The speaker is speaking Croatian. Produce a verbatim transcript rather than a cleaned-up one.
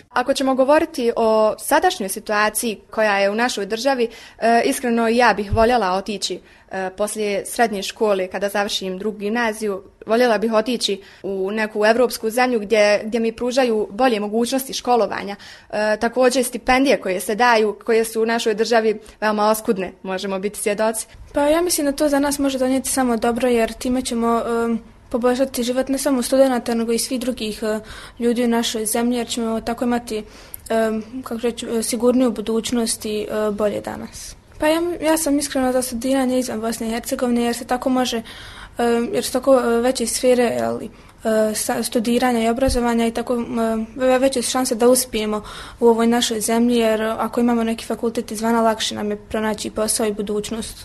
Ako ćemo govoriti o sadašnjoj situaciji koja je u našoj državi, e, iskreno ja bih voljela otići e, poslije srednje škole, kada završim drugu gimnaziju, voljela bih otići u neku evropsku zemlju gdje, gdje mi pružaju bolje mogućnosti školovanja. E, također stipendije koje se daju, koje su u našoj državi veoma oskudne, možemo biti svjedoci. Pa ja mislim da to za nas može donijeti samo dobro, jer time ćemo um, poboljšati život ne samo studenata, nego i svih drugih uh, ljudi u našoj zemlji, jer ćemo tako imati um, kako reći, sigurniju budućnost i uh, bolje danas. Pa ja, ja sam iskreno za studiranje izvan Bosne i Hercegovine, jer se tako može, um, jer su tako uh, veće sfere, ali studiranja i obrazovanja i tako veće šanse da uspijemo u ovoj našoj zemlji, jer ako imamo neki fakultet izvana, lakše nam je pronaći posao i budućnost.